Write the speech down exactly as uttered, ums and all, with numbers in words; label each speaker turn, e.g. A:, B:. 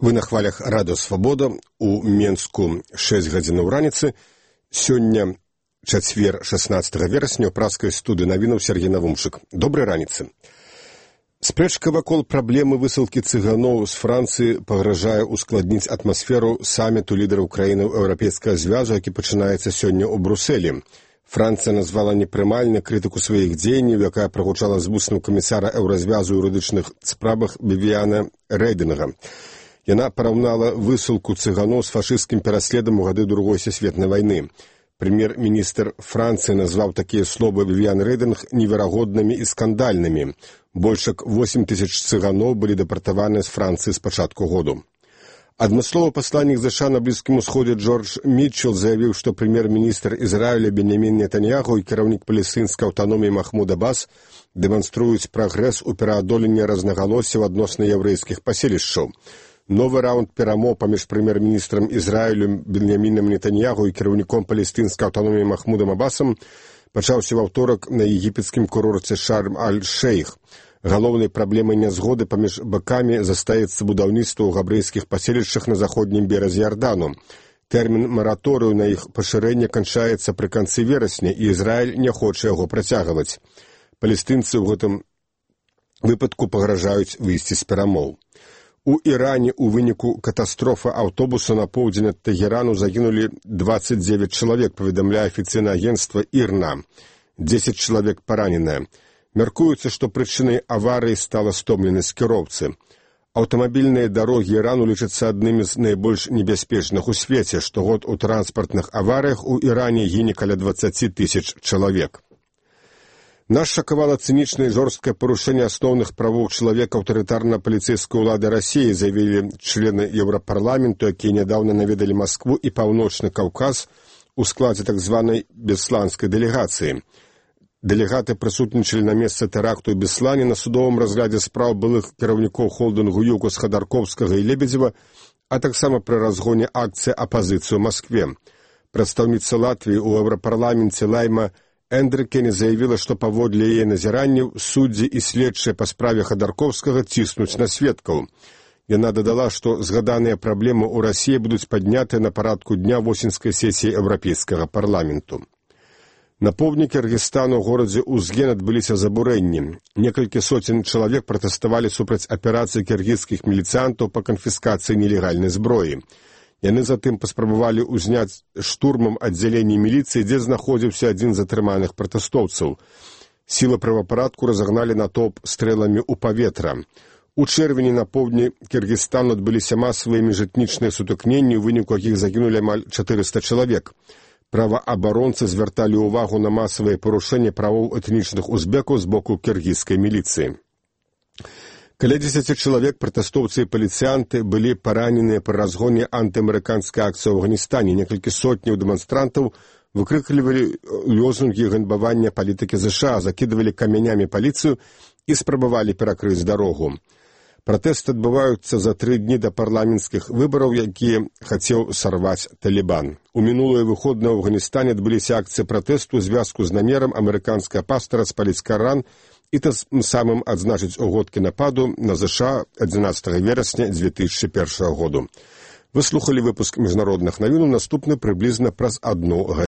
A: Вы на хвалях радыё Свабода. У Менску шэсць гадзінаў раніцы. Сёння чацвер шаснаццатага верасня ў праскай студыі навінаў Сергей Навумчык. Добрай раніцы. Спрэчка вакол праблемы высылкі цыганоў з Францыі пагражае ускладніць атмасферу саміту лідараў краінаў Еўрапейскага звязу, які пачынаецца сёння ў Брусэлі. Францыя назвала непрымальна крытыку сваіх дзеянняў, якая прагучала з вуснаў камісара Еўразвязу ў юрыдычных справах Вівіяна Рэйдынга. Яна параўнала высылку цыганоў з фашысцкім пераследам у гады Другой сусветнай вайны. Прэм'ер-міністр Францыі назваў такія словы Вівіян Рэйдынг неверагоднымі і скандальнымі. Больш як восем тысяч цыганоў былі дэпартаваны з Францыі з пачатку году. Адмысловы пасланнік ЗША на Блізкім Усходзе Джордж Мітчел заявіў, што прэм'ер-міністр Ізраіля Беньямін Нетаньяху і кіраўнік палестынскай аўтаноміі Махмуд Аббас дэманструюць прагрэс у пераадоленні рознагалоссяў адносна яўрэйскіх паселішчаў. Новы раунд перамоў паміж прэм'ер-міністрам Ізраілю Беньямінам Нетаньяху і кіраўніком палестынскай аўтаноміі Махмудам Аббасам пачаўся ва ўторак на егіпецкім курорце Шарм-аль-Шейх. Галоўнай праблемай нязгоды паміж бакамі застаецца будаўніцтва ў габрэйскіх паселішчах на заходнім беразе Ярдану. Тэрмін мараторыю на іх пашырэнне канчаецца пры канцы верасня, і Ізраіль не хоча яго працягваць. Палестынцы ў гэтым выпадку пагражаюць выйсці з перамоў. У Іране ў выніку катастрофы аўтобуса на поўдзень ад Тэгерану загінулі дваццаць дзевяць чалавек, паведамляе афіцыйнае агенцтва ІРНА. дзесяць чалавек параненыя. Мяркуецца, што прычынай аварыі стала стомленасць кіроўцы. Аўтамабільныя дарогі Ірану лічацца аднымі з найбольш небяспечных у свеце. Штогод у транспартных аварыях у Іране гіне каля дваццаць тысяч чалавек. Нас шакавала цынічнае і жорсткае парушэнне асноўных правоў чалавека аўтарытарна-паліцэйскай улады Расіі, заявілі члены Еўрапарламенту, якія нядаўна наведалі Маскву і Паўночны Каўказ у складзе так званай бесланскай дэлегацыі. Дэлегаты прысутнічалі на месцы тэракту ў Беслане на судовым разглядзе спраў былых кіраўнікоў холдынгу ЮКОС Хадарковскага і Лебедзева, а таксама пры разгоне акцыі апазіцыі ў Маскве. Прадстаўніца Латвіі ў Еўрапарламенце Лайма Эндрыкене заявіла, што паводле яе назіранняў суддзі і следчыя па справе Хадарковскага ціснуць на сведкаў. Яна дадала, што згаданыя праблемы ў Расіі будуць паднятыя на парадку дня восеньскай сесіі Еўрапейскага парламенту. На поўдні Кіргізстану ў горадзе Узген адбыліся забурэнні. Некалькі соцень чалавек пратэставалі супраць аперацыі кіргізскіх міліцыянтаў па канфіскацыі нелегальнай зброі. Яны затым паспрабавалі ўзняць штурмам аддзяленне міліцыі, дзе знаходзіўся адзін з затрыманых пратэстоўцаў. Сілы правапарадку разагналі натоўп стрэламі ў паветра. У чэрвені на поўдні Кіргізстану адбыліся масавыя міжэтнічныя сутыкненні, у выніку якіх загінулі амаль чатырыста чалавек. Праваабаронцы звярталі ўвагу на масавыя парушэнні правоў этнічных узбекаў з боку кіргізскай міліцыі. Каля дзесяці чалавек пратэстоўцы і паліцыянты былі параненыя пры разгоне антыамерыканскай акцыі ў Афганістане. Некалькі сотняў дэманстрантаў выкрыклівалі лозунгі ганьбавання палітыкі ЗША, закідывалі камянямі паліцыю і спрабавалі перакрыць дарогу. Пратэсты адбываюцца за тры дні да парламенцкіх выбараў, якія хацеў сарваць Талібан. У мінулыя выходныя ў Афганістане адбыліся акцыі пратэсту ў звязку з намерам амерыканскага пастара спаліць Каран і тым самым адзначыць угодкі нападу на ЗША адзінаццатага верасня дзве тысячы першага году. Вы слухалі выпуск міжнародных навінаў, наступны прыблізна праз адну гадзіну.